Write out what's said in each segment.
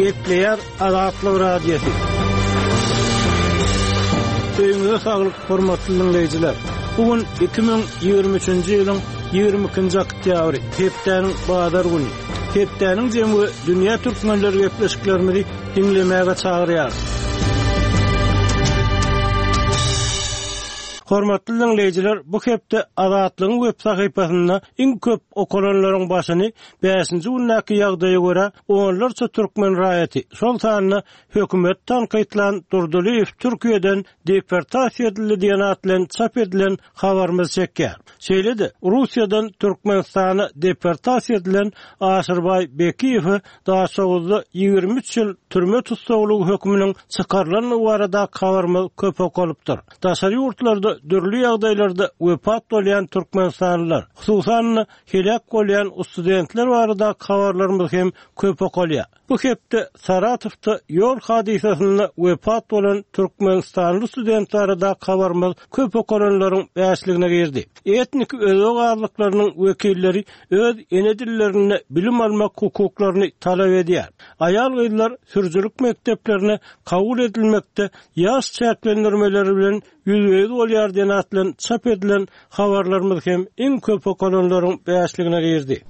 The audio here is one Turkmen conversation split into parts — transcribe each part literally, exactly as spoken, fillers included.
Gepleýär Azatlyk Radiosy. Öýüňize saglyk, hormatly dinleýjiler. Bu gün iki müň ýigrimi üçünji ýylyň ýigrimi ikinji oktýabry, hepdäniň bazar güni. Hepdäniň jemi we dünýä türkmenleri gepleşiklerimizi dinlemäge çagyrýar. Hormatly dinleýjiler, bu hepde Azatlygyň web sahypasynda iň köp okalanlaryň başyny bäşinji gündäki ýagdaýa görä onlarça türkmen raýaty, şol sanda hökümet tankytlan Durdylyýew Türkiýeden deportasiýa edildi diýen at bilen çap edilen habarymyz çekýär. Şeýle-de Russiýadan Türkmenistana deportasiýa edilen Aşyrbaý Bekiýewe Daşoguzda ýigrimi üç ýyl türme tussaglygy hökmüniň çykarylandygy barada habarymyz köp okalypdyr. Daşary ýurtlarda dürli ýagdaýlarda wepat bolýan türkmenistanlylar, hususan-da helak bolýan studentler barada habarlarymyz hem köp okalýar. Bu hepde Saratowda ýol hadysasynda wepat bolan türkmenistanly student barada habarymyz köp okalanlaryň bäşligine girdi. Etnik özbek azlyklarynyň wekilleri öz ene dillerinde bilim almak hukuklaryny talap edýär. Aýal gyzlar sürüjilik mekdeplerine kabul edilmekde ýaş çäklendirmeleri bilen ýüzbe-ýüz bolýar diýen at bilen çap edilen habarlarymyz hem iň köp okalanlaryň bäşligine girdi.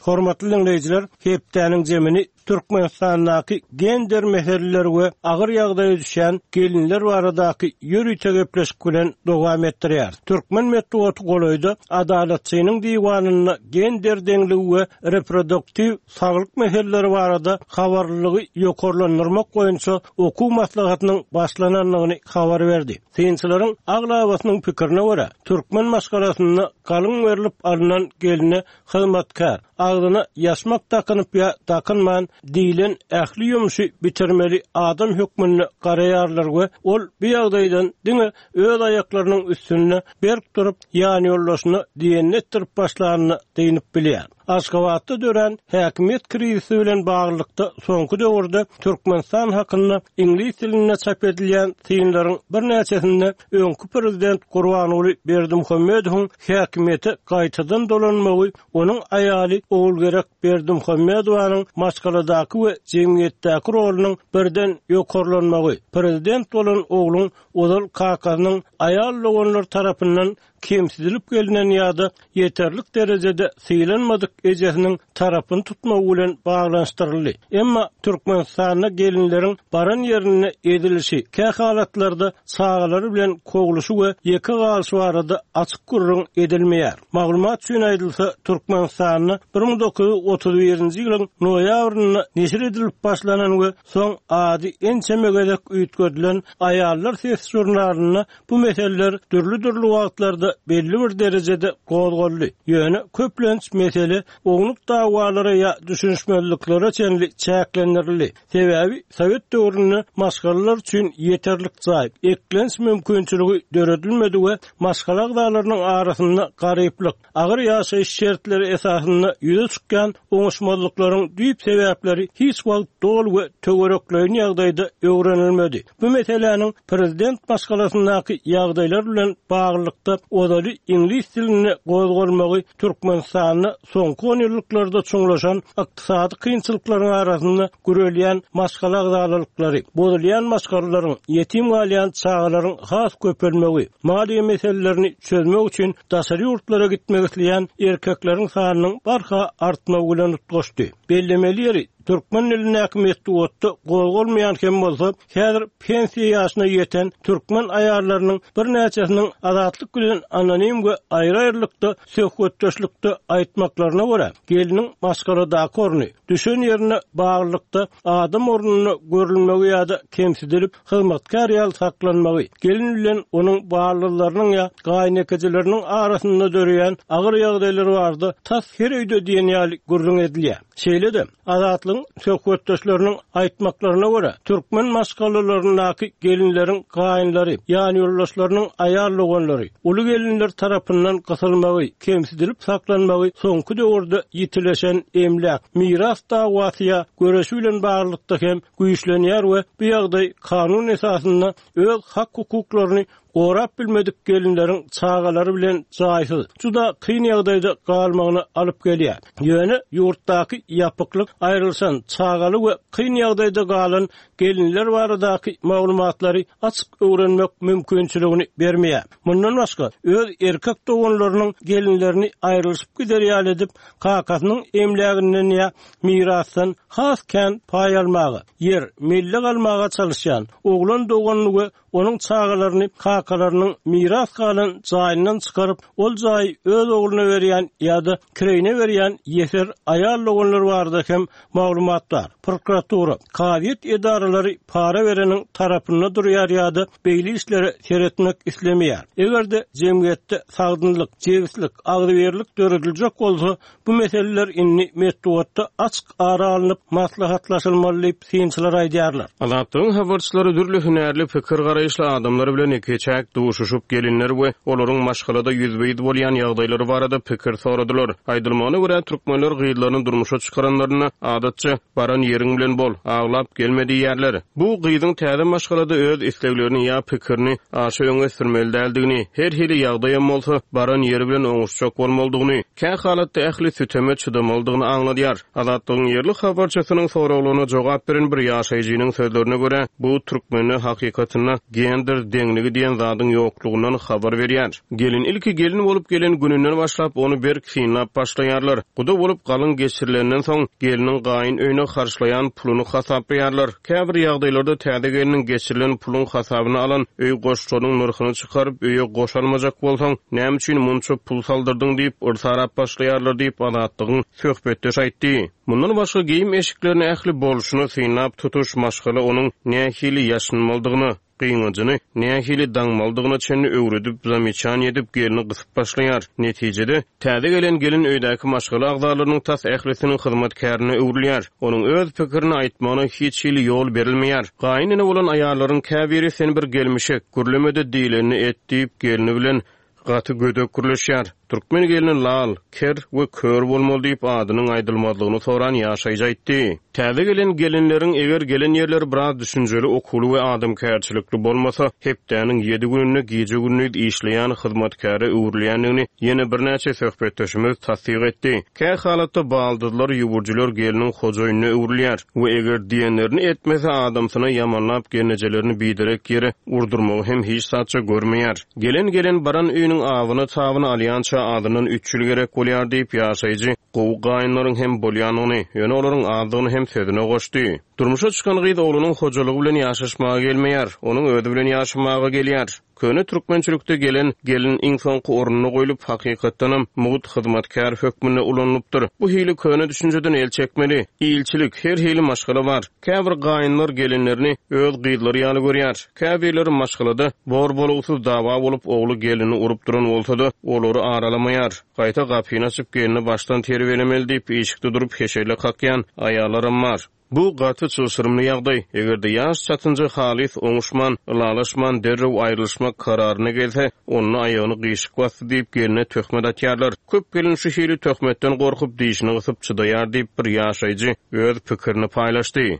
Hormatly dinleýjiler, hepdäniň jemini Türkmenistandaky gender meseleleri we agyr ýagdaýa düşen gelinler baradaky ýörite gepleşik bilen dowam etdirýär. Türkmen metbugaty golaýda Adalatçynyň diwanynda gender deňligi we reproduktiv saglyk meseleleri barada habarlylygy ýokarlandyrmak boýunça okuw maslahatynyň başlanandygyny habar berdi. Synçylaryň aglabasynyň pikirine görä, türkmen maşgalasynda galyň berlip alynan geline hyzmatkar, agzyna ýaşmak dakynyp ýa dakynman diýilen ähli ýumşy bitirmeli adam hökmünde garaýarlar we ol bu ýagdaýdan diňe öz aýaklarynyň üstünde berk durup ýan ýoldaşyna diýenini etdirip başlanyny diýinip bilýär. Aşgabatda dörän häkimiýet krizisi bilen baglylykda soňky döwürde Türkmenistan hakynda iňlis dilinde çap edilýän synlaryň birnäçesinde öňki prezident Gurbanguly Berdimuhamedowyň häkimiýete gaýtadan dolanmagy, onuň aýaly Ogulgerek Berdimuhamedowanyň maşgaladaky we jemgyýetdäki rolunyň birden ýokarlanmagy, prezident bolan ogluň ozal kakasynyň aýal doganlar tarapyndan kemsidilip gelinen ýa-da ýeterlik derejede sylanmadyk ejesiniň tarapyny tutmagy bilen baglanyşdyryldy. Emma Türkmenistanda gelinleriň baran ýerinde edilişi, kä halatlarda çagalary bilen kowluşy we ýeke galyşy barada açyk gürrüň edilmeýär. Maglumat üçin aýdylsa, Türkmenistanda bir müň dokuz ýüz otuz birinji ýylyň noýabrynda neşir edilip başlanan we soň ady ençeme gezek üýtgedilen Aýallar Sesi jurnalynda bu meseleler dürli-dürli wagtlarda belli bir derejede gozgaldy. Ýöne köplenç mesele ownuk dawalara ýa düşünişmezliklere çenli çäklendirildi. Sebäbi Sowet döwründe maşgalalar üçin ýeterlik jaý, eklenç mümkinçiligi döredilmedi we maşgala agzalarynyň arasynda garyplyk, agyr ýaşaýyş şertleri esasynda ýüze çykýan oňuşmazlyklaryň düýp sebäpleri hiç wagt doly we töwerekleýin ýagdaýda öwrenilmedi. Bu meseläniň prezident maşgalasyndaky ýagdaýlar bilen baglylykda ozaly iňlis dilinde gozgalmagy Türkmenistanda soňky on ýyllyklarda çuňlaşan ykdysady kynçylyklaryň arasynda gürelýän maşgala agzalalyklary, bozulýan maşgalalaryň, ýetim galýan çagalaryň has köpelmegi, maliýe meselelerini çözmek üçin daşary ýurtlara gitmek isleýän erkekleriň sanynyň barha artmagy bilen utgaşdy. Bellemeli ýeri, türkmen dilindäki metbugatda gozgalmaýan hem bolsa, häzir pensiýa ýaşyna ýeten türkmen aýallarynyň birnäçesiniň azatlyk bilen anonim we aýry-aýrylykda söhbetdeşlikde aýtmaklaryna görä, geliniň maşgaladaky orny, düşen ýerine baglylykda adam ornuna görülmegi ýa-da kemsidilip hyzmatkar ýaly saklanmagy, gelin bilen onuň baglylarynyň ýa gaýynekejileriniň arasynda döreýän agyr ýagdaýlar barada tas her öýde diýen ýaly gürrüň edilýär. Şeýle-de, azatlygyň söhbetdeşleriniň aýtmaklaryna görä, türkmen maşgalalaryndaky gelinleriň gaýynlary, ýan ýoldaşlarynyň aýal doganlary, uly gelinler tarapyndan gysylmagy, kemsidilip saklanmagy soňky döwürde ýitileşen emläk, miras dawasy ýa göreşi bilen baglylykda hem güýçlenýär we bu ýagdaý kanun esasynda öz hak hukuklaryny Gorap bilmedik gelinleriň çagalary bilen jaýsyz, juda kyn ýagdaýda galmagyna alyp gelýär. Ýöne ýurtdaky ýapyklyk aýrylşan çagaly we kyn ýagdaýda galan gelinler baradaky maglumatlary açyk öwrenmek mümkinçiligini bermeýär. Mundan başga öz erkek doganlarynyň gelinlerini aýrylyşyp gider ýaly edip, kakasynyň emläginden ýa mirasdan has kän paý almaga, ýer, mellek almaga çalışýan oglan doganyny we onuň çagalaryny kakalarynyň miras galan jaýyndan çykaryp, ol jaýy öz ogluna berýän ýa-da kireýine berýän ýeser aýal doganlar barada hem maglumat bar. Prokuratura, kazyýet edaralary para bereniň tarapynda durýar ýa-da beýle işlere seretmek islemeýär. Eger-de jemgyýetde sagdynlyk, jebislik, agzybirlik dörediljek bolsa, bu meseleler indi metbugatda açyk ara alnyp maslahatlaşylmaly diýip synçylar aýdýarlar. Azatlygyň habarçylary dürli hünärli pikir garaýyşly adamlar bilen ikiçäk duşuşyp gelinler we olaryň maşgalada ýüzbe-ýüz bolýan ýagdaýlary barada pikir soradylar. Aýdylmagyna görä türkmenler gyzlaryny durmuşa çykaranlarynda adatça baran ýeriň bilen bol, aglap gelme diýýärler. Bu gyzyň täze maşgalada öz isleglerini ýa pikirini aşa öňe sürmeli däldigini, her hili ýagdaýam bolsa baran ýeri bilen oňuşjak bolmalydygyny, kä halatda ähli süteme çydamalydygyny aňladýar. Azatlygyň ýerli habarçysynyň soraglaryna jogap beren bir ýaşaýjynyň sözlerine görä, bu türkmende hakykatynda gender deňligi diýen zadyň ýoklugyndan habar berýär. Gelin ilki gelin bolup gelen gününden başlap ony berk synlap başlaýarlar. Guda bolup galyň geçirilenden soň geliniň gaýyn öýüne harçlaýan puluny hasaplaýarlar. Käbir ýagdaýlarda täze geliniň geçirilen puluň hasabyny alan öý goşlarynyň nyrhyny çykaryp öýe goş almajak bolsaň, näme üçin munça pul saldyrdyň diýip yrsarap başlaýarlar diýip Azatlygyň söhbetdeş aýtdy. Mundan başga geýim eşiklerini ähli bolşuny synlap tutuş maşgala onuň nähili ýaşynmalydygyny, gyňajyny nähili daňmalydygyna çenli öwredip, zamiçan edip gelini gysyp başlaýar. Netijede täze gelen gelin öýdäki maşgala agzalarynyň tas ählisiniň hyzmatkärine öwrülýär. Onuň öz pikirini aýtmagyna hiç hili ýol berilmeýär. Gaýynene bolan aýallaryň käbiri sen bir gelmişek, gürlemede diýlenini et diýip gelini bilen gaty gödek gürleşýär. Türkmen gelini lal, ker we kör bolmaly diýip adynyň aýdylmazlygyny soran ýaşaýjy aýtdy. Täze gelen gelinleriň eger gelen ýerleri biraz düşünjeli, okuwly we adamkärçilikli bolmasa, hepdäniň ýedi gününde gije-gündiz işleýän hyzmatkäre öwrülýändigini ýene birnäçe söhbetdeşimiz tassyk etdi. Kä halatda baldyzlar, ýüwürjiler geliniň hojaýynyna öwrülýär we eger diýenlerini etmese adamsyna ýamanlap gelnejelerini biderek ýere urdurmagy hem hiç zatça görmeýär. Gelen gelen baran öýüniň awyny tabyny alýança adyndan üç ýyl gerek bolýar diýip ýaşaýjy gowy gaýynlaryň hem bolýanyny, ýöne olaryň azdygyny hem sözüne goşdy. Durmuşa çykan gyz oglunyň hojalygy bilen ýaşaşmaga gelmeýär, onuň özi bilen ýaşamaga gelýär. Köne türkmençilikde gelen gelin iň soňky ornuna goýlup, hakykatdanam mugt hyzmatkär hökmünde ulanylypdyr. Bu hili köne düşünjeden el çekmeli. Ilçilik, her hili maşgala bar. Käbir gaýynlar gelinlerini öz gyzlary ýaly görýär. Käbirleri maşgalada bor-bolugsyz dawa bolup ogly gelini urup duran bolsa-da, olary aralamaýar. Gaýta gapyny açyp gelini başdan terbiýelemeli diýip işikde durup heşelle kakýan aýallaram bar. Bu gaty çylşyrymly ýagdaý. Eger-de ýaş çatynja halis oňuşman, ylalaşman derrew aýrylyşmak kararyna gelse, onda aýagyny gyşyk basdy diýip geline töhmet atýarlar. Köp gelin şu hili töhmetden gorkup dişini gysyp çydaýar diýip bir ýaşaýjy öz pikirini paýlaşdy.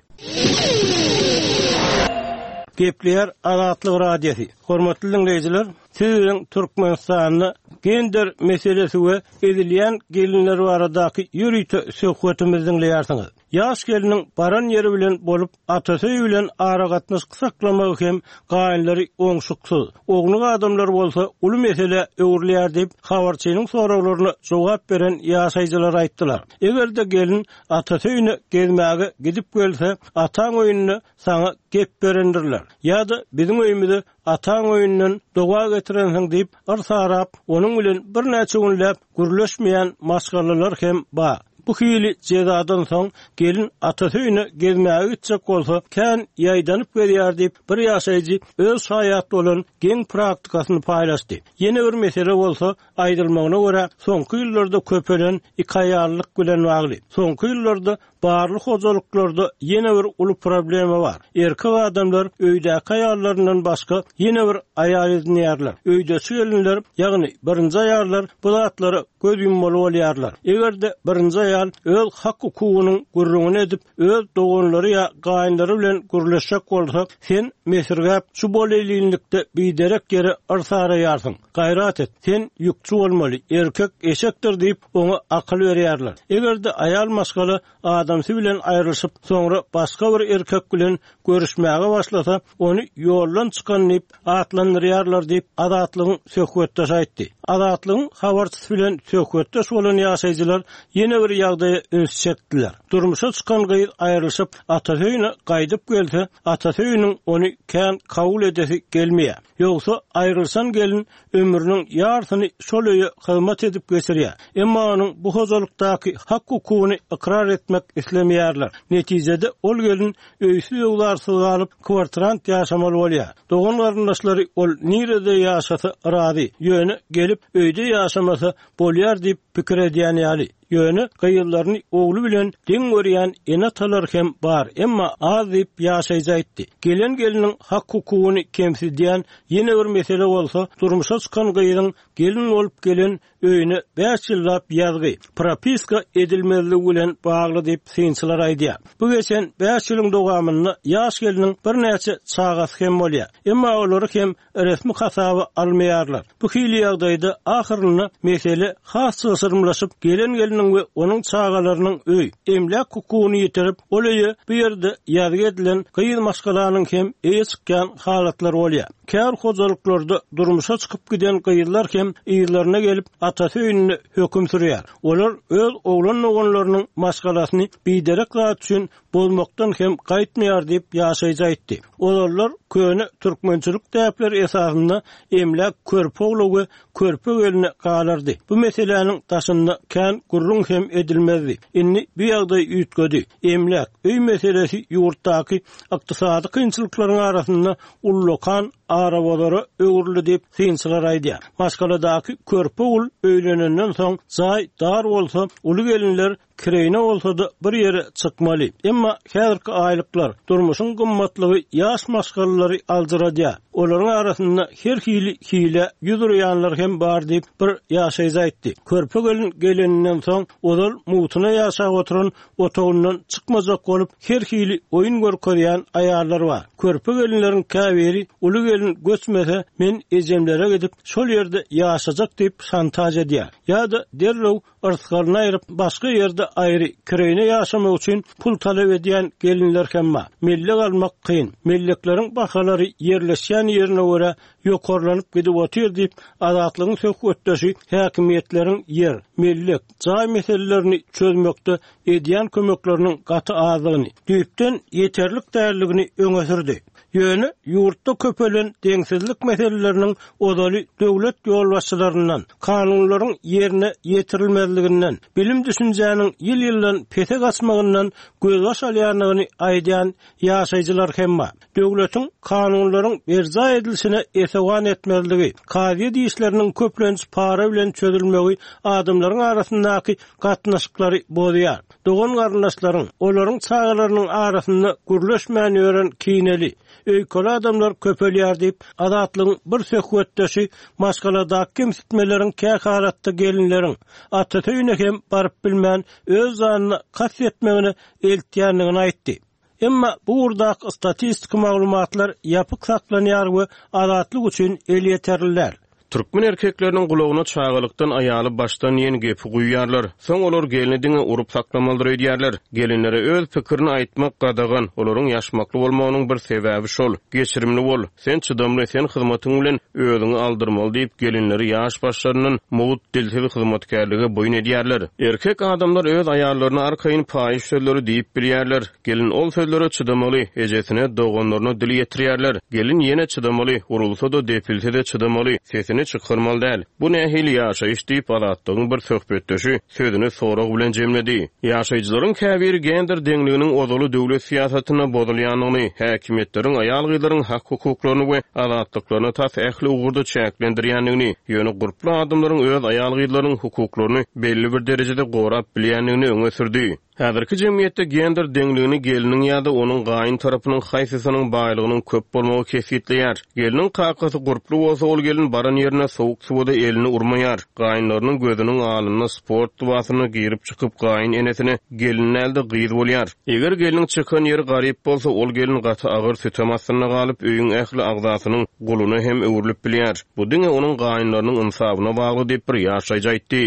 Gepleýär Azatlyk Radiosy. Hormatly dinleýjiler, siz bilen Türkmenistanda gender meselesi we edilýän gelinler baradaky ýörite söhbetimizi dinleýärsiňiz. Ýaş geliniň baran ýeri bilen bolup, atasy bilen aragatnaşyk saklamagy hem gaýynlary oňşuksyz. Ognuk adamlar bolsa uly mesele öwrülýär diýip, habarçynyň soraglaryna jogap beren ýaşaýjylar aýtdylar. Eger-de gelin atasy öýüne gezmäge gidip gelse, ataň öýünde saňa gep berendirler. Ýa-da biziň öýümize ataň öýünden doga getirensiň diýip, yrsarap, onuň bilen birnäçe günläp gürleşmeýän maşgalalar hem bar. Bu hili jezadan soň gelin atasy öýüne gezmäge gitjek bolsa, kän ýaýdanyp gelýär diýip, bir ýaşaýjy öz şaýat bolan geň praktikasyny paýlaşdy. Ýene bir mesele bolsa, aýdylmagyna görä, soňky ýyllarda köpelen iki aýallyk bilen bagly. Soňky ýyllarda barly hojalyklarda ýene bir uly problema bar. Erkek adamlar öýdäki aýallaryndan başga ýene bir aýal edinýärler. Öýdeçi gelinler, ýagny birinji aýallar bu zatlara göz ýummaly bolýarlar. Eger-de birinji aýal aýal öz hak-hukugynyň gürrüňini edip, öz doganlary ýa gaýynlary bilen gürleşjek bolsa, sen mesirgäp şu bolelinlikde biderek ýere yrsaraýarsyň. Gaýrat et, sen ýükçi bolmaly, erkek eşekdir diýip oňa akyl berýärler. Eger-de aýal maşgala adamsy bilen aýrylyşyp, soňra başga bir erkek bilen görüşmäge başlasa, ony ýoldan çykan diýip atlandyrýarlar diýip Azatlygyň söhbetdeşi aýtdy. Azatlygyň habarçysy bilen söhbetdeş bolan ýaşaýjylar ýene bir ýagdaýa üns çekdiler. Durmuşa çykan gyz aýrylyşyp, atasy öýüne gaýdyp gelse, atasy öýüniň ony kän kabul edesi gelmeýär. Ýogsa aýrylşan gelin ömrüniň ýarsyny şol öýe hyzmat edip geçirýär. Emma onuň bu hojalykdaky hak-hukugyny ykrar etmek islemeýärler. Netijede ol gelin öýsüz öwlarsyz galyp, kwartirant ýaşamaly bolýar. Dogan garyndaşlary ol nirede ýaşasa razy, ýöne gelip öýde ýaşamasa bolýar diýip pikir edýän ýaly. Ýöne gyýyllaryny ogly bilen deň görýän ene-atalar hem bar, emma az diýip ýaşaýjy aýtdy. Gelen geliniň hak-hukugyny kemsidýän ýene bir mesele bolsa, durmuşa çykan gyzyň gelin bolup gelen öýüne bäş ýyllap ýazgy, propiska edilmezligi bilen bagly diýip synçylar aýdýar. Bu geçen bäş ýylyň dowamynda ýaş geliniň birnäçe çagasy hem bolýar. Emma olary hem resmi hasaba almaýarlar. Bu hili ýagdaýda ahyrynda mesele has çylşyrymlaşyp, gelen geliniň we onuň çagalarynyň öý, emläk hukugyny ýitirip, ol öýe bu ýerde ýazgy edilen gyz maşgalanyň hem eýe çykýan halatlar bolýar. Kär hojalyklarda durmuşa çykyp giden gyzlar hem ýerlerine gelip atasy öýünde höküm sürýär. Olar öz oglan doganlarynyň maşgalasyny biderek zat üçin bozmakdan hem gaýtmaýar diýip ýaşaýjy aýtdy. Olarlar köne türkmençilik däpleri esasynda emläk körpe ogly we körpe gelne galardy. Bu meseläniň daşynda kän gürrüň hem edilmezdi. Indi bu ýagdaý üýtgedi. Emläk öý meselesi ýurtdaky ykdysady kynçylyklaryň arasynda ullakan arabazara öwrüldi diýip synçylar aýdýar. Maşgaladaky körpe ogul öýlenenden soň jaý dar bolsa, uly gelinler kireýne bolsa-da bir ýere çykmaly. Emma häzirki aýlyklar durmuşyň gymmatlygy ýaş maşgalalary aldyradýar. Olaryň arasynda her hili hile ýüz urýanlar hem bar diýip bir ýaşaýjy aýtdy. Körpe gelin geleninden soň ozal mugtuna ýaşap oturan otagyndan çykmajak bolup her hili oýun görkezýän aýallar bar. Körpe gelinleriň käbiri uly gelin göçmese men ejemlere gidip şol ýerde ýaşajak diýip şantaj edýär. Ýa-da derrew yrsgalyny aýryp başga ýerde aýry kireýne ýaşamak üçin pul talap edýän gelinler hem bar. Mellek almak kyn. Mellekleriň bahalary ýerleşýän ýerine görä ýokarlanyp gidip otyr diýip Azatlygyň söhbetdeşi häkimiýetleriň ýer, mellek, jaý meselelerini çözmekde edýän kömekleriniň gaty azlygyny, düýpden ýeterlik däldigini öňe sürdi. Ýöne ýurtda köpelen deňsizlik meseleleriniň ozaly döwlet ýolbaşçylaryndan, kanunlaryň ýerine ýetirilmezliginden, bilim düşünjäniň ýyl-ýyldan pese gaçmagyndan gözbaş alýandygyny aýdýan ýaşaýjylar hem bar. Döwletiň kanunlaryň berjaý edilişine esewan etmezligi, kazyýet işleriniň köplenç para bilen çözülmegi adamlaryň arasyndaky gatnaşyklary bozýar. Dogan garyndaşlaryň, olaryň çagalarynyň arasynda gürleşmän ýören kineli, öýkeli adamlar köpelýär diýip Azatlygyň bir söhbetdeşi maşgaladaky kemsitmeleriň kähalatda gelinleriň atasy öýüne hem baryp bilmän öz janyna kast etmegine eltýändigini aýtdy. Emma bu ugurdaky statistik maglumatlar ýapyk saklanýar we Azatlyk üçin elýeterliler. Türkmen erkekleriniň gulagyna çagalykdan aýaly başdan diýen gepi guýýarlar. Soň olar gelini diňe urup saklamalydyr öýdýärler. Gelinlere öz pikirini aýtmak gadagan, olaryň ýaşmakly bolmagynyň bir sebäbi şol. Geçirimli bol, sen çydamly, sen hyzmatyň bilen özüňi aldyrmaly diýip gelinleri ýaş başlaryndan mugt dilsiz hyzmatkärlige boýun edýärler. Erkek adamlar öz aýallaryna arkaýyn paýyş sözleri diýip bilýärler. Gelin ol sözlere çydamaly, ejesine, doganlaryna dil ýetirýärler. Gelin ýene çydamaly, urulsa-da depilse-de çydamaly, sesini çykarmaly däl. Bu nähili ýaşaýyş diýip Azatlygyň bir söhbetdeşi sözüni sorag bilen jemledi. Ýaşaýjylaryň käbiri gender deňliginiň ozaly döwlet syýasatynda bozulýandygyny, häkimiýetleriň aýal-gyzlaryň hak-hukuklaryny we azatlyklaryny tas ähli ugurda çäklendirýändigini, ýöne gurply adamlaryň öz aýal-gyzlarynyň hukuklaryny belli bir derejede gorap bilýändigini öňe sürdi. Häzirki jemgyýetde gender deňligini gelniň ýa-da onuň gaýyn tarapynyň haýsysynyň baýlygynyň köp bolmagy kesgitleýär. Gelniň kakasy gurply bolsa, ol gelin baran ýerine sowuk suwa-da elini urmaýar. Gaýynlarynyň gözüniň alnynda sport lybasyna girip-çykyp, gaýyn enesine gelin däl-de gyz bolýar. Eger gelniň çykan ýeri garyp bolsa, ol gelin gaty agyr sütem astynda galyp, öýüň ähli agzasynyň guluna hem öwrülip bilýär. Bu diňe onuň gaýynlarynyň ynsabyna bagly diýip bir ýaşaýjy aýtdy.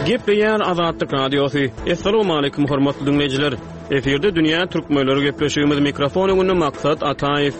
Gepleýär Azatlyk Radiosy. Assalamualaikum hormatly dinleýjiler. Efirde Dünýä Türkmenleri gepleşigimiz mikrofon öňünde Maksat Ataýew.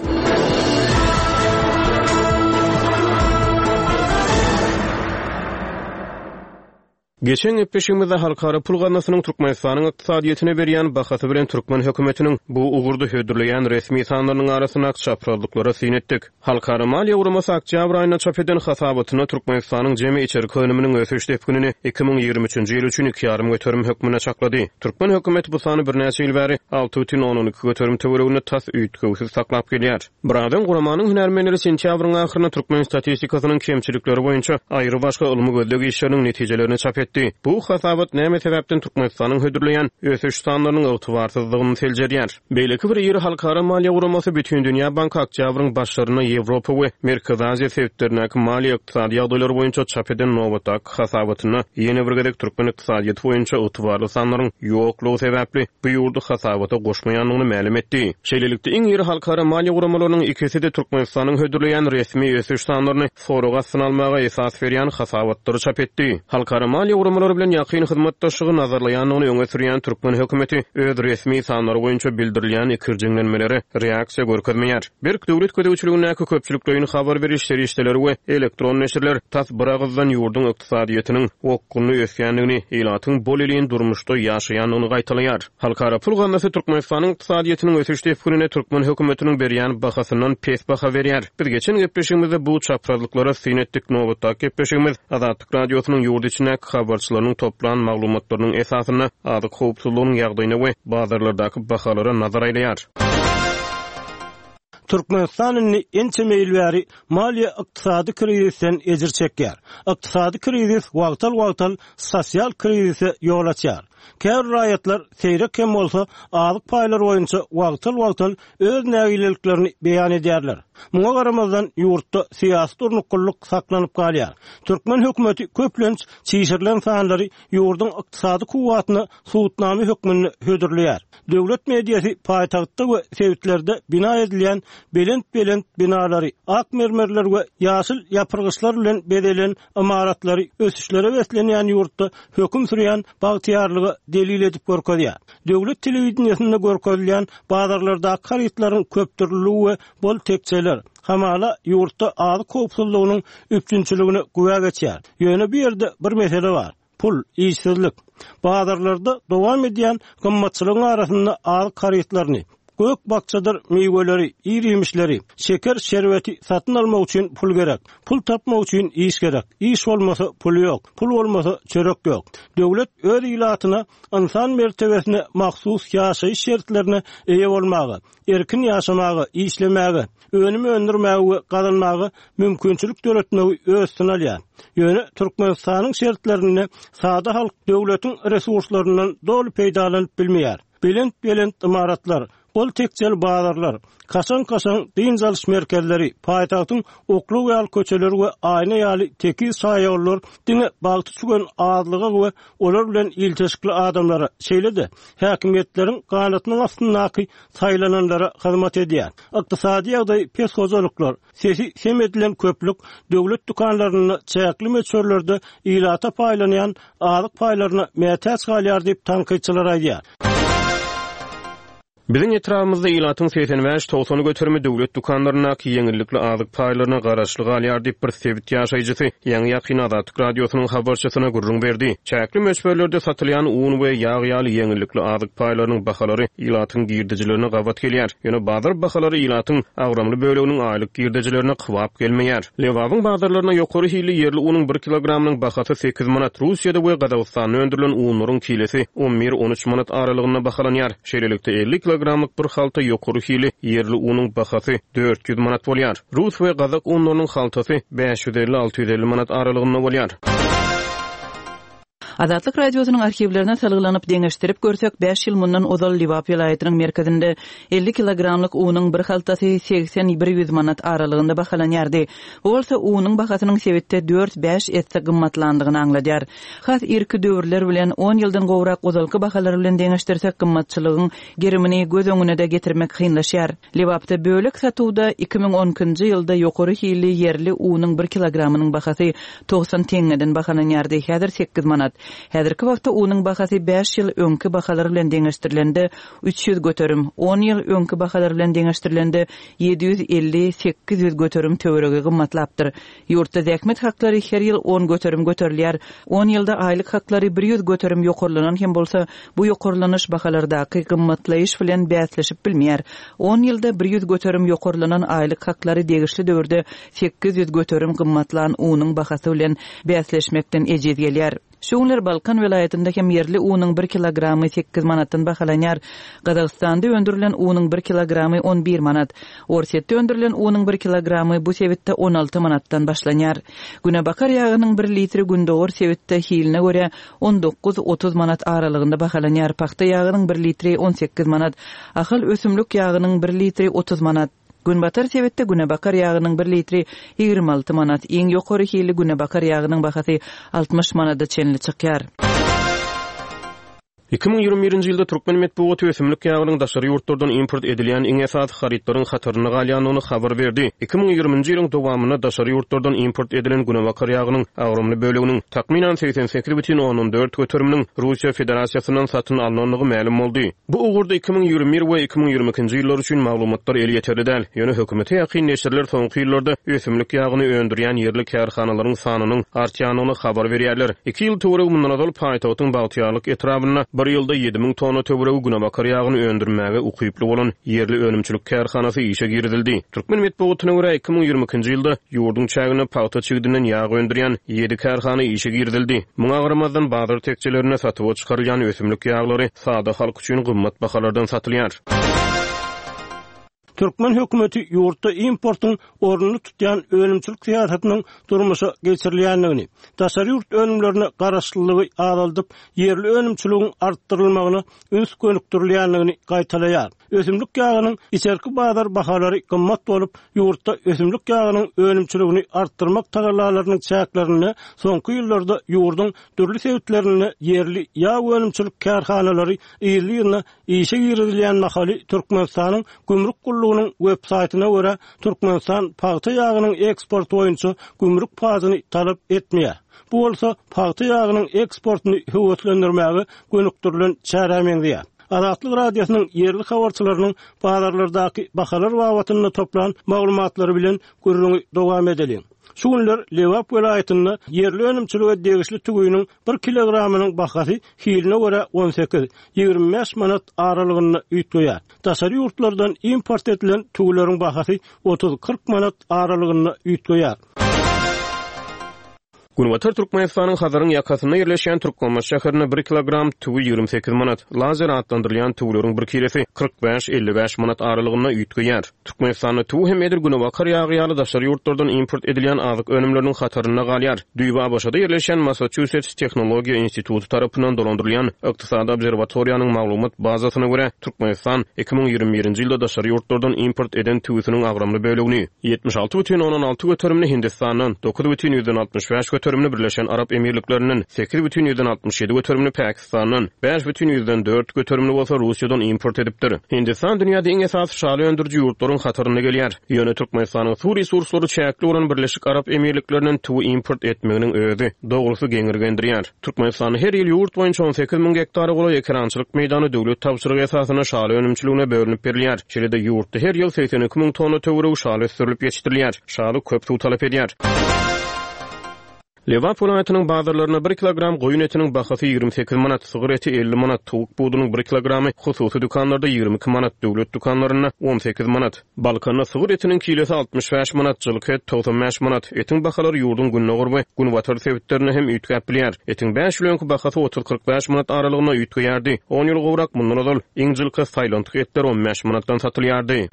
Geçen gepleşigimizde Halkara Pul Gaznasynyň Türkmenistanyň ykdysadyýetine berýän bahasy bilen türkmen hökümetiniň bu ugurda hödürleýän resmi sanlarynyň arasyndaky çaprazlyklara syn etdik. Halkara Maliýe Guramasy oktýabr aýynda çap eden hasabatynda Türkmenistanyň jemi içerki önüminiň ösüş depginini iki müň ýigrimi üçünji ýyl üçin iki ýarym göterim hökmünde çaklady. Türkmen hökümeti bu sany birnäçe ýyl bäri alty bütin ondan iki göterim töwereginde tas üýtgewsiz saklap gelýär. Birazdan guramanyň hünärmenleri sentýabryň ahyrynda türkmen statistikasynyň kemçilikleri boýunça aýry başga ylmy gözleg işleriniň netijelerini çap etdi. Bu hasabat näme sebäpden Türkmenistanyň hödürleýän ösüş sanlarynyň ygtybarsyzlygyny seljerýär. Beýleki bir iri halkara maliýe guramasy Bütindünýä Banky oktýabryň başlarynda Ýewropa we Merkezi Aziýa sebitlerindäki maliýe ykdysady ýagdaýlary boýunça çap eden nobatdaky hasabatynda ýene bir gezek türkmen ykdysadyýeti boýunça ygtybarly sanlaryň ýoklugy sebäpli bu ýurdy hasabata goşmaýandygyny mälim etdi. Şeýlelikde iň iri halkara maliýe guramalarynyň ikisi-de Türkmenistanyň hödürleýän resmi ösüş sanlaryny sorag astyna almaga esas berýän hasabatlary çap etdi. Halkara maliýe guramalary bilen ýakyn hyzmatdaşlygy nazarlaýandygyny öňe sürýän türkmen hökümeti öz resmi sanlary boýunça bildirilýän ikirjiňlenmelere reaksiýa görkezmeýär. Berk döwlet gözegçiligindäki köpçülikleýin habar beriş serişdeleri we elektron neşirler tas bir agyzdan ýurduň ykdysadyýetiniň okgunly ösýändigini, ilatyň bol elin durmuşda ýaşaýandygyny gaýtalaýar. Halkara Pul Gaznasy Türkmenistanyň ykdysadyýetiniň ösüş depginine türkmen hökümetiniň berýän bahasyndan pes baha berýär. Biz geçen gepleşigimizde bu çaprazlyklara syn etdik. Nobatdaky gepleşigimiz Azatlyk Radiosynyň ýurt içindäki habarçylarynyň toplan maglumatlarynyň esasynda azyk howpsuzlygynyň ýagdaýyna we bazarlardaky bahalara nazar aýlaýar. Türkmenistan indi ençeme ýyl bäri maliýe ykdysady krizisden ejir çekýär. Ykdysady krizis wagtal-wagtal sosial krizise ýol açýar. Käbir raýatlar seýrek hem bolsa azyk paýlary boýunça wagtal-wagtal öz nägileliklerini beýan edýärler. Muňa garamazdan ýurtda syýasy durnuklylyk saklanyp galýar. Türkmen hökümeti köplenç çişirilen sanlary ýurduň ykdysady kuwwatyna subutnama hökmünde hödürleýär. Döwlet mediasy paýtagtda we sebitlerde bina edilýän belent-belent binalary, ak mermerler we ýaşyl ýapyrgyçlar bilen bezelen imaratlary ösüşlere beslenýän ýurtda höküm sürýän bagtyýarlyga delil edip görkezýär. Döwlet telewideniýesinde görkezilýän bazarlardaky harytlaryň köpdürlüligi we bol tekjeler hamala ýurtda azyk howpsuzlygynyň üpjünçiligine güwä geçýär. Ýöne bu ýerde bir mesele bar. Pul, işsizlik. Bazarlarda dowam edýän gymmatçylygyň arasynda azyk harytlaryny, gök bakjadyr miweleri, ir-iýmişleri, şeker şerbeti satyn almak üçin pul gerek. Pul tapmak üçin iş gerek. Iş bolmasa pul ýok. Pul bolmasa çörek ýok. Döwlet öz ilatyna insan mertebesine mahsus ýaşaýyş şertlerine eýe bolmaga, erkin ýaşamaga, işlemäge, önüm öndürmäge we gazanmaga mümkinçilik döretmegi öz üstüne alýar. Ýöne Türkmenistanyň şertlerinde sada halk döwletiň resurslaryndan doly peýdalanyp bilmeýär. Belent-belent imaratlar, bol tekjeli bazarlar, kaşaň-kaşaň dynç alyş merkezleri, paýtagtyň oklaw ýaly köçeleri we aýna ýaly tekiz şaýollar diňe bagty çügen azlyga we olar bilen ilteşikli adamlara, şeýle-de häkimiýetleriň ganatynyň astyndaky saýlananlara hyzmat edýär. Ykdysady ýagdaý pes hojalyklar, sesi sem edilen köplük döwlet dükanlarynda çäkli möçberlerde ilata paýlanýan azyk paýlaryna mätäç galýar diýip tankytçylar aýdýar. Biziň etrabymyzda ilatyň segsen bäş togsan göterimi döwlet dükanlaryndaky ýeňillikli azyk paýlaryna garaşly galýar diýip bir sebit ýaşaýjysy ýaňy ýakyn Azatlyk Radiosynyň habarçysyna gürrüň berdi. Çäkli möçberlerde satylýan un we ýag ýaly ýeňillikli azyk paýlarynyň bahalary ilatyň girdejilerine gabat gelýär. Ýöne bazar bahalary ilatyň agramly böleginiň aýlyk girdejilerine kybap gelmeýär. Lebabyň bazarlaryna ýokary hilli ýerli unuň bir kilogramynyň bahasy sekiz manat, Russiýada we Gazagystanda öndürilen unlaryň kilesi on bir on üç manat aralygynda bahalanýar. Şeýlelikde elli kilogram kilogramlyk bir halta ýokary hili ýerli unuň bahasy dört ýüz manat bolýar. Rus we gazak unlarynyň haltasy bäş ýüz elli-alty ýüz elli manat aralygynda bolýar. Azatlyk Radiosynyň arhiwlerine salgylanyp deňeşdirip görsek, bäş ýyl mundan ozal Lebap welaýatynyň merkezinde elli kilogramlyk unuň bir haltasy segsen bir ýüz manat aralygynda bahalanýardy. Bu bolsa unuň bahasynyň sebitde dört-bäş esse gymmatlandygyny aňladýar. Has irki döwürler bilen on ýyldan gowrak ozalky bahalar bilen deňeşdirsek gymmatçylygyň gerimini göz öňüne-de getirmek kynlaşýar. Lebapda bölek satuwda iki müň on ikinji ýylda ýokary hilli ýerli unuň bir kilogramynyň bahasy togsan teňňeden bahalanýardy, häzir sekiz manat. Häzirki wagtda unuň bahasy bäş ýyl öňki bahalar bilen deňeşdirilende üç ýüz göterim, on ýyl öňki bahalar bilen deňeşdirilende ýedi ýüz elli sekiz ýüz göterim töweregi gymmatlapdyr. Ýurtda zähmet haklary her ýyl on göterim göterilýär. On ýylda aýlyk haklary bir ýüz göterim ýokarlanan hem bolsa, bu ýokarlanyş bahalardaky gymmatlaýyş bilen bäsleşip bilmeýär. On ýylda bir ýüz göterim ýokarlanan aýlyk haklary degişli döwürde sekiz ýüz göterim gymmatlan unuň bahasy bilen bäsleşmekden ejiz gelýär. Şu günler Balkan welaýatynda hem ýerli unuň bir kilogramy sekiz manatdan bahalanýar. Gazagystanda öndürilen unuň bir kilogramy on bir manat. Orsýetde öndürilen unuň bir kilogramy bu sebitde on alty manatdan başlanýar. Günebakar ýagynyň bir litri gündogar sebitde hiline görä on dokuz otuz manat aralygynda bahalanýar. Pagta ýagynyň bir litri on sekiz manat. Ahal ösümlik ýagynyň bir litri otuz manat. Günbatar sebitde günebakar ýagynyň bir litri ýigrimi alty manat. Iň ýokary hili günebakar ýagynyň bahasy altmyş manada çenli çykýar. Iki müň ýigrimi birinji ýylda türkmen metbugaty ösümlik ýagynyň daşary ýurtlardan import edilýän iň esasy harytlaryň hatarynda galýandygyny habar berdi. Iki müň ýigriminji ýylyň dowamynda daşary ýurtlardan import edilen günebakar ýagynyň agramly böleginiň takmynan segsen sekiz bütin ondan dört göteriminiň Russiýa Federasiýasyndan satyn alnandygy mälim boldy. Bu ugurda iki müň ýigrimi bir we iki müň ýigrimi ikinji ýyllar üçin maglumatlar elýeterli däl. Ýöne hökümete ýakyn neşirler soňky ýyllarda ösümlik ýagyny öndürýän ýerli kärhanalaryň sanynyň artýandygyny habar berýärler. Iki ýyl töweregi mundan ozal paýtagtyň Bagtyýarlyk etrabynda bir ýylda ýedi müň tonna töweregi günebakar ýagyny öndürmäge ukyply bolan ýerli önümçilik kärhanasy işe girizildi. Türkmen metbugatyna görä iki müň ýigrimi ikinji ýylda ýurduň çäginde pagta çigidinden ýag öndürýän ýedi kärhana işe girizildi. Muňa garamazdan bazar tekjelerinde satuwa çykarylýan ösümlik ýaglary sada halk üçin gymmat bahalardan satylýar. Türkmen hökümeti ýurtda importyň ornuny tutýan önümçilik syýasatynyň durmuşa geçirilýändigini, daşary ýurt önümlerine garaşlylygy azaldyp, ýerli önümçiligiň artdyrylmagyna üns gönükdirilýändigini gaýtalaýar. Ösümlik ýagynyň içerki bazar bahalary gymmat bolup, ýurtda ösümlik ýagynyň önümçiligini artdyrmak tagallalarynyň çäklerinde soňky ýyllarda ýurduň dürli sebitlerinde ýerli ýag önümçilik kärhanalary ýyly-ýylyna işe girizilýän mahaly Türkmenistanyň gümrük gullugynyň web saýtyna görä Türkmenistan pagta ýagynyň eksporty boýunça gümrük pajyny talap etmeýär. Bu bolsa pagta ýagynyň eksportyny höweslendirmäge gönükdirilen çärä meňzeýär. Azatlyk Radiosynyň ýerli habarçylarynyň bazarlardaky bahalar babatynda toplan maglumatlary bilen gürrüňi dowam edeliň. Şu günler Lebap welaýatynda ýerli önümçilige degişli tüwüniň bir kilogramynyň bahasy hiline görä on sekiz, ýigrimi bäş manat aralygynda üýtgeýär. Daşary ýurtlardan import edilen tüwüleriň bahasy otuz kyrk manat aralygynda üýtgeýär. Günbatar Türkmenistanyň Hazaryň ýakasynda ýerleşýän Türkmenbaşy şäherinde bir kilogram tüwi ýigrimi sekiz manat, lazer atlandyrylýan tüwüleriň bir kilesi kyrk bäş, elli bäş manat aralygynda üýtgeýär. Türkmenistanda tüwi hem edil günebakar ýagy ýaly daşary ýurtlardan import edilýän azyk önümleriniň hatarynda galýar. Düýbi A B Ş-da ýerleşýän Massachusetts Tehnologiýa Instituty tarapyndan dolandyrylýan Ykdysady obserwatoriýanyň maglumat bazasyna görä Türkmenistan iki müň ýigrimi birinji ýylda daşary ýurtlardan import eden tüwüsiniň agramly bölegini ýetmiş alty bütin ondan alty göterimini Hindistandan, dokuz bütin ýüzden altmyş bäş göterimini Birleşen Arap Emirliklerinden, sekiz bütin ýüzden altmyş ýedi göterimini Pakistandan, bäş bütin ýüzden dört göterimini bolsa Russiýadan import edipdir. Hindistan dünýäde iň esasy şaly öndüriji ýurtlaryň hatarynda gelýär. Ýöne Türkmenistanyň suw resurslary çäkli bolan Birleşik Arap Emirliklerinden tüwi import etmeginiň özi dogrusy geňirgendirýär. Türkmenistanda her ýyl ýurt boýunça on sekiz müň gektara golaý ekerançylyk meýdany döwlet tabşyrygy esasynda şaly önümçiligine bölünip berilýär. Şeýle-de ýurtda her ýyl segsen iki müň tonna töweregi şaly ösdürilip ýetişdirilýär. Şaly köp suw talap edýär. Lebap welaýatynyň bazarlarynda bir kilogram goýun etiniň bahasy ýigrimi sekiz manat, sygyr eti elli manat, towuk budunyň bir kilogramy hususy dükanlarda ýigrimi iki manat, döwlet dükanlarynda on sekiz manat. Balkanda sygyr etiniň kilesi altmyş bäş manat, jylky et togsan bäş manat. Etiň bahalary ýurduň gündogar we günbatar sebitlerinde hem üýtgäp bilýär. Etiň bäş ýyl öňki bahasy otuz-kyrk bäş manat aralygynda üýtgeýärdi. On ýyl gowrak mundan ozal iň jylky saýlantyk etler on bäş manatdan satylýardy.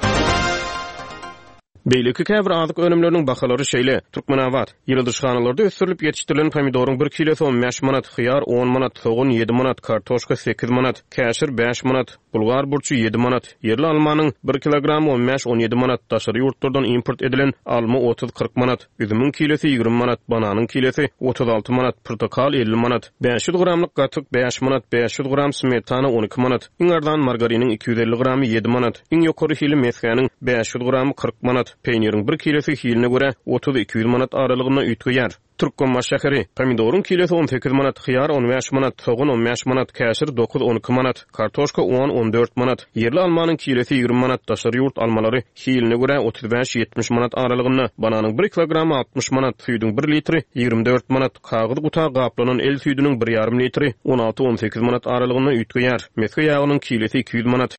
Beýleki käbir azyk önümleriniň bahalary şeýle: Türkmenabat, ýyladyşhanalarda ösdürilip ýetişdirilen pomidoryň bir kilosy on bäş manat, hyýar on manat, sogan ýedi manat, kartoşka sekiz manat, käşir bäş manat, bulgar burçy ýedi manat, ýerli almanyň bir kilogramy on bäş-on ýedi manat, daşary ýurtlardan import edilen alma otuz-kyrk manat, üzümiň kilosy ýigrimi manat, bananyň kilosy otuz alty manat, pyrtykal elli manat, bäş ýüz gramlyk gatyk bäş manat, bäş ýüz gram smetana on iki manat, iň arzan margariniň iki ýüz elli gramy ýedi manat, iň ýokary hili mesgäniň bäş ýüz gramy kyrk manat, peýniriň bir kilosy hiline görä otuz iki ýüz manat aralygynda üýtgeýär. Türkmenbaşy şäheri, pomidoryň kilosy on sekiz manat, hyýar on bäş manat, sogan on bäş manat, käşir dokuz-on iki manat, kartoşka on-on dört manat, ýerli almanyň kilosy ýigrimi manat, daşary ýurt almalary hiline görä otuz bäş-ýetmiş manat aralygynda, bananyň bir kilogramy altmyş manat, süýdüň bir litri ýigrimi dört manat, kagyz guta gaplanan el süýdüniň bir ýarym litri on alty-on sekiz manat aralygynda üýtgeýär. Mesge ýagynyň kilosy iki ýüz manat.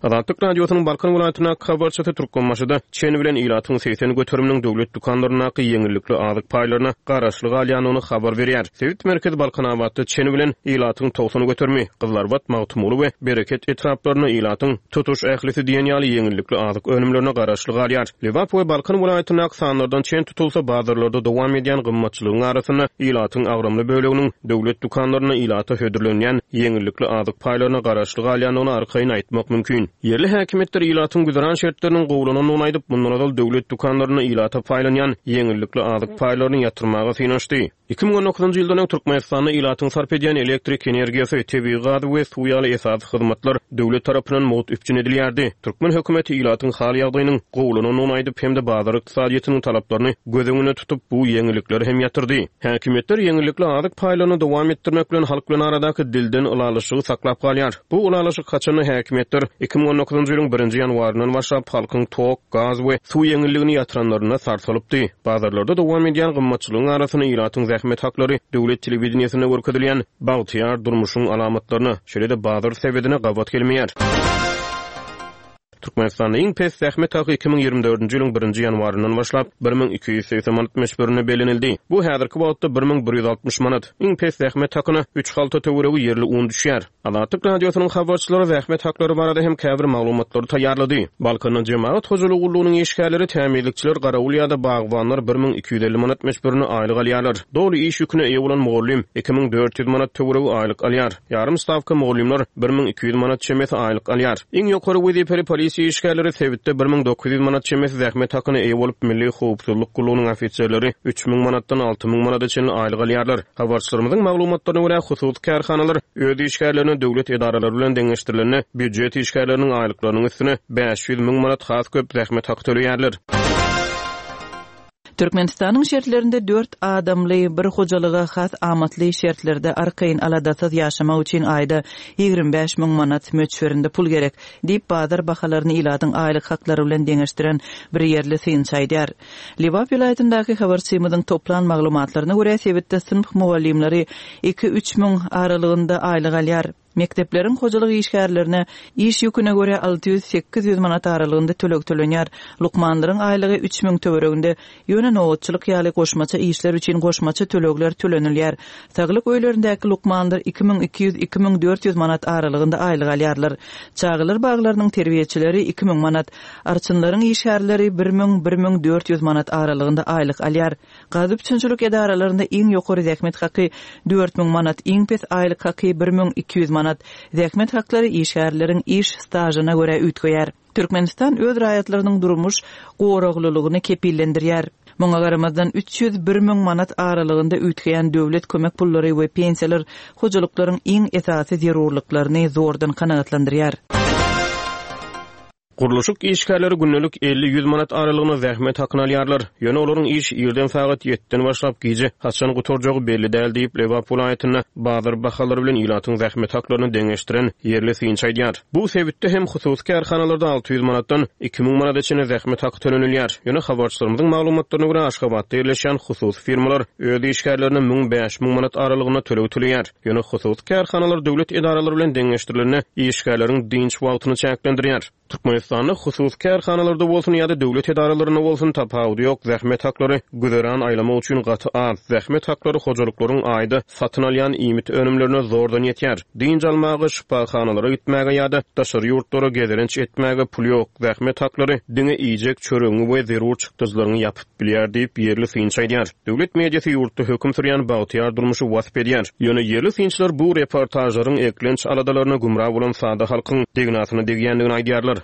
Azatlyk Radiosynyň Balkan welaýatyndaky habarçysy Türkmenbaşyda çen bilen ilatyň segsen göteriminiň döwlet dükanlaryndaky ýeňillikli azyk paýlaryna garaşly galýandygyny habar berýär. Sebit merkezi Balkanabatda çen bilen ilatyň togsan göterimi, Gyzlarbat, Magtymguly we Bereket etraplarynda ilatyň tutuş ählisi diýen ýaly ýeňillikli azyk önümlerine garaşly galýar. Lebap we Balkan welaýatyndaky sanlardan çen tutulsa bazarlarda dowam edýän gymmatçylygyň arasynda ilatyň agramly böleginiň döwlet dükanlarynda ilata hödürlenýän ýeňillikli azyk paýlaryna garaşly galýandygyny arkaýyn aýtmak mümkin. Ýerli häkimiýetler ilatyň güzeran şertleriniň gowulanandygyny aýdyp, mundan ozal döwlet dükanlarynda ilata paýlanýan ýeňillikli azyk paýlaryny ýatyrmaga synanyşdy. Iki müň on dokuzynjy ýyldan öň Türkmenistanda ilatyň sarp edýän elektrik energiýasy, tebigy gazy we suw ýaly esasy hyzmatlar döwlet tarapyndan mugt üpjün edilýärdi. Türkmen hökümeti ilatyň hal ýagdaýynyň gowulanandygyny aýdyp, hem-de bazar ykdysadyýetiniň talaplaryny göz öňünde tutup, bu ýeňillikleri hem ýatyrdy. Häkimiýetler ýeňillikli azyk paýlaryny dowam etdirmek bilen halk bilen aradaky dilden ylalaşygy saklap galýar. Bu ylalaşyk haçanda häkimiýetler iki müň on dokuzynjy ýylyň birinji ýanwaryndan başlap halkyň tok, gaz we suw ýeňilligini ýatyranlarynda sarsalypdy. Bazarlarda dowam edýän gymmatçylygyň arasynda ilatyň zähmet haklary döwlet telewideniýesinde görkezilýän bagtyýar durmuşyň alamatlaryna, şeýle-de bazar sebedine gabat gelmeýär. Türkmenistanda iň pes zähmet haky iki müň ýigrimi dördünji ýylyň birinji ýanwaryndan başlap bir müň iki ýüz segsen manat möçberinde bellenildi. Bu häzirki wagtda bir müň bir ýüz altmyş manat. Iň pes zähmet hakyna üç halta töweregi ýerli un düşýär. Azatlyk Radiosynyň habarçylary zähmet haklary barada hem käbir maglumatlary taýýarlady. Balkanda jemagat hojalygy gullugynyň işgärleri, tämizlikçiler, garawul ýa-da bagbanlar bir müň iki ýüz elli manat möçberinde aýlyk alýarlar. Doly iş ýüküne eýe bolan mugallym iki müň dört ýüz manat töweregi aýlyk alýar. Ýarym stawka mugallymlar bir müň iki ýüz manat çemesi aýlyk alýar. Iň ýokary wezipeli polisiýa işgärleri sebitde bir müň dokuz ýüz manat çemesi zähmet hakyna eýe bolup, Milli howpsuzlyk gullugynyň ofiserleri üç müň manatdan alty müň manata çenli aýlyk alýarlar. Habarçylarymyzyň maglumatlaryna görä, hususy kärhanalar öz işgärlerine döwlet edaralary bilen deňeşdirilende býujet işgärleriniň aýlyklarynyň üstüne bäş ýüz müň manat has köp zähmet haky töleýärler. Türkmenistanyň şertlerinde dört adamly bir hojalyga has amatly şertlerde arkaýyn aladasyz ýaşamak üçin aýda ýigrimi bäş müň manat möçberinde pul gerek, diýip bazar bahalaryny ilatyň aýlyk haklary bilen deňeşdiren bir ýerli synçy aýdýar. Lebap welaýatyndaky habarçymyzyň toplan maglumatlaryna görä sebitde synp mugallymlary iki-üç müň aralygynda aýlyk alýar. Mekdepleriň hojalyk işgärlerine iş ýüküne görä alty ýüz sekiz ýüz manat aralygynda töleg tölenýär. Lukmanlaryň aýlygy üç müň töwereginde, ýöne nobatçylyk ýaly goşmaça işler üçin goşmaça tölegler tölenilýär. Saglyk öýlerindäki lukmanlar iki müň iki ýüz, iki müň dört ýüz manat aralygynda aýlyk alýarlar. Çagalar baglarynyň terbiýeçileri iki müň manat, arçynlaryň işgärleri bir müň, bir müň dört ýüz manat aralygynda aýlyk alýar. Gaz üpjünçilik edaralarynda iň ýokary zähmet haky dört müň manat, iň pes aýlyk haky bir müň iki ýüz manat. Zähmet haklary işgärleriň iş stažyna görä üýtgeýär. Türkmenistan öz raýatlarynyň durmuş goraglylygyny kepillendirýär. Muňa garamazdan üç ýüz bir müň manat aralygynda üýtgeýän döwlet kömek pullary we pensiýalar hojalyklaryň iň esasy zerurlyklaryny zordan kanagatlandyrýar. Gurluşyk işgärleri gündelik elli-ýüz manat aralygynda zähmet hakyny alýarlar. Ýöne olaryň iş irden sagat ýediden başlap gije haçan gutarjagy belli däl diýip, Lebap welaýatynda bazar bahalary bilen ilatyň zähmet haklaryny deňeşdiren ýerli synçy aýdýar. Bu sebitde hem hususy kärhanalarda alty ýüz manatdan iki müň manada çenli zähmet haky tölenilýär. Ýöne habarçylarymyzyň maglumatlaryna görä, Aşgabatda ýerleşýän hususy firmalar öz işgärlerine müň, bäş müň manat aralygynda töleg töleýär. Ýöne hususy kärhanalar döwlet edaralary bilen deňeşdirilende işgärleriň dynç wagtyny çäklendirýär. Türkmenistanda hususy kärhanalarda bolsun ýa-da döwlet edaralarynda bolsun tapawudy ýok, zähmet haklary güzeran aýlamak üçin gaty az. Zähmet haklary hojalyklaryň aýda satyn alýan iýmit önümlerine zordan ýetýär. Dynç almaga, şypahanalara gitmäge ýa-da daşary ýurtlara gezelenç etmäge pul ýok. Zähmet haklary diňe iýjek çöregiňi we zerur çykdajylaryňy ýapyp bilýär diýip, ýerli synçy aýdýar. Döwlet mediasy ýurtda höküm sürýän bagtyýar durmuşy wasp edýär. Ýöne ýerli synçylar bu reportažlaryň eklenç aladalaryna gümra bolan sada halkyň degnasyna degýändigini aýdýarlar.